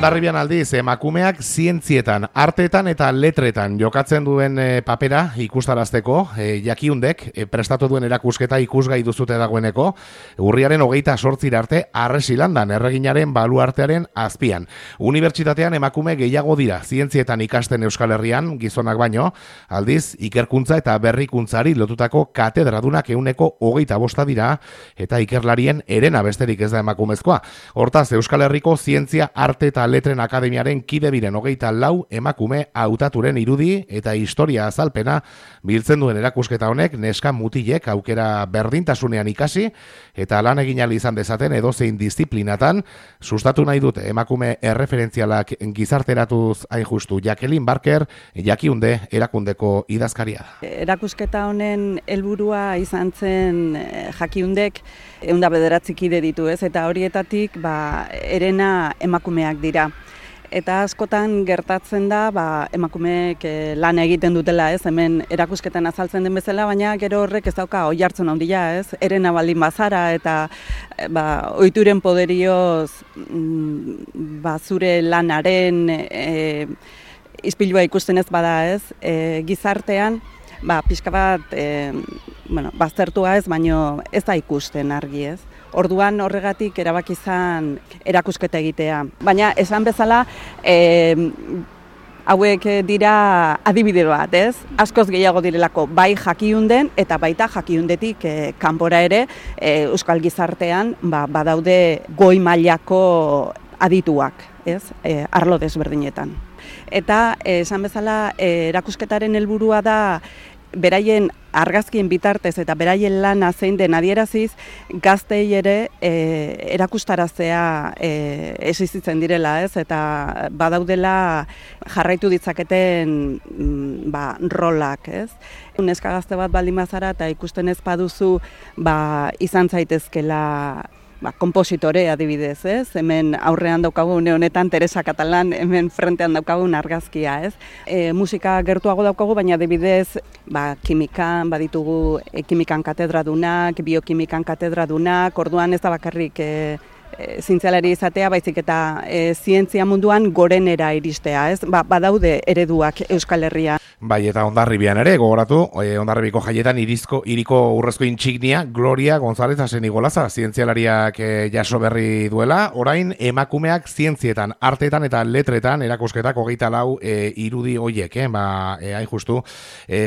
Hondarribian aldiz, emakumeak zientzietan, arteetan eta letretan jokatzen duen papera ikustarazteko, jakiundek prestatu duen erakusketa ikusgai duzute dagoeneko, urriaren 28 arte Arresilandan, erreginaren baluartearen azpian. Unibertsitatean emakume gehiago dira zientzietan ikasten Euskal Herrian, gizonak baino, aldiz, ikerkuntza eta berrikuntzari lotutako katedradunak 25 dira, eta ikerlarien herena besterik ez da emakumezkoa. Hortaz, Euskal Herriko zientzia, arte eta letren akademiaren kide biren 24 emakume hautaturen irudi eta historia azalpena biltzen duen erakusketa honek neska mutilek aukera berdintasunean ikasi eta lan egin ahal izan dezaten edozein disiplinatan sustatu nahi dute emakume erreferentzialak gizarteratuz hain justu. Jacqueline Barker, Jakiunde erakundeko idazkaria da. Erakusketa honen helburua izan zen Jakiundek 109 kide ditu, ez? Eta horietatik herena emakumeak dira. Eta askotan gertatzen da emakumeek lan egiten dutela, ez? Hemen erakusketan azaltzen den bezala, baina gero horrek ez dauka oihartzun handia, ez? Herena baldin bazara eta ohituren poderioz zure lanaren ispilua ikusten ez bada, ez? Gizartean pixka bat baztertua ez, baino ez da ikusten argi, ez? Orduan horregatik erabaki izan erakusketa egitea. Baina esan bezala hauek dira adibide bat, ez? Askoz gehiago direlako bai Jakiunden eta baita Jakiundetik kanpora ere euskal gizartean badaude goi mailako adituak, ez? Arlo desberdinetan. Eta esan bezala erakusketaren helburua da beraien argazkien bitartez eta beraien lana zein den adieraziz gaztei ere erakustaraztea existitzen direla, ez? Eta badaudela jarraitu ditzaketen rolak, ez? Neska gazte bat baldin bazara eta ikusten ez baduzu izan zaitezkela kompositore adibidez, ez? Hemen aurrean daukagu une honetan Teresa Catalán, hemen frentean daukagun argazkia, ez? Musika gertuago daukagu, baina adibidez kimikan baditugu kimikan katedradunak, biokimikan katedradunak, orduan ez da bakarrik zientzialari izatea, baizik eta zientzia munduan gorenera iristea, ez? Badaude ereduak Euskal Herrian. Bai, eta Hondarribian ere, gogoratu, Hondarribiko jaietan iriko urrezko intsignia Gloria González Asenigolaza, zientzialariak jaso berri duela, orain emakumeak zientzietan, arteetan eta letretan erakusketak 24 irudi hoiek, hain justu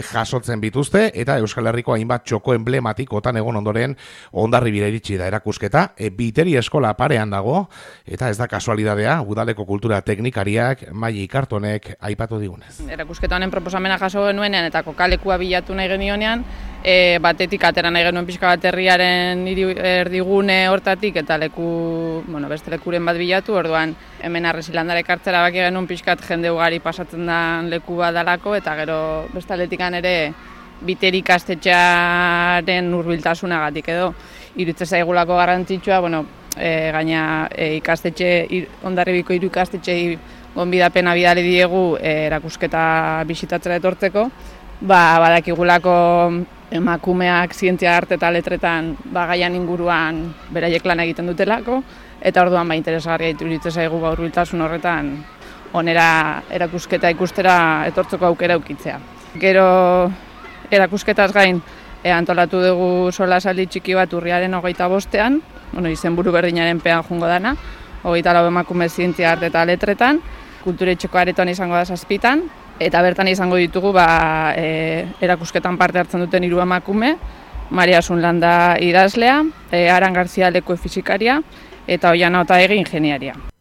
jasotzen bituzte, eta Euskal Herriko hainbat txoko emblematikotan egon ondoren Hondarribira iritsi da erakusketa, Biteri eskola parean dago, eta ez da kasualidadea, udaleko kultura teknikariak Maili Kartonek aipatu digunez. Erakusketa honen proposamena jaso genuenean eta kokalekua bilatu nahi genionean, batetik atera nahi genuen pixka bat herriaren erdigune hortatik eta beste lekuren bat bilatu, orduan hemen Arresilandara ekartzera baki genuen pixkat jende ugari pasatzen den leku bat dalako, eta gero beste aldetikan ere Biteri ikastetxearen hurbiltasunagatik edo iruditzen zaigulako garrantzitsua, gaina Hondarribiko 3 ikastetxei gonbidapena bidali diegu erakusketa bisitatzera etortzeko, badakigulako emakumeak zientzia, arte eta letretan gaian inguruan beraiek lan egiten dutelako, eta orduan interesgarria iruditzen zaigu hurbiltasun horretan onera erakusketa ikustera etortzeko aukera eukitzea. Gero erakusketaz gain antolatu dugu solasaldi txiki bat urriaren 25ean, izenburu berdinaren pean joango dana, 24 emakume zientzia, arte eta letretan, kulturetxeko aretoan izango da 7, eta bertan izango ditugu erakusketan parte hartzen duten 3 emakume, Maria Asunlanda idazlea, Aran Garzia leku fizikaria eta Oiana Otaegi ingeniaria.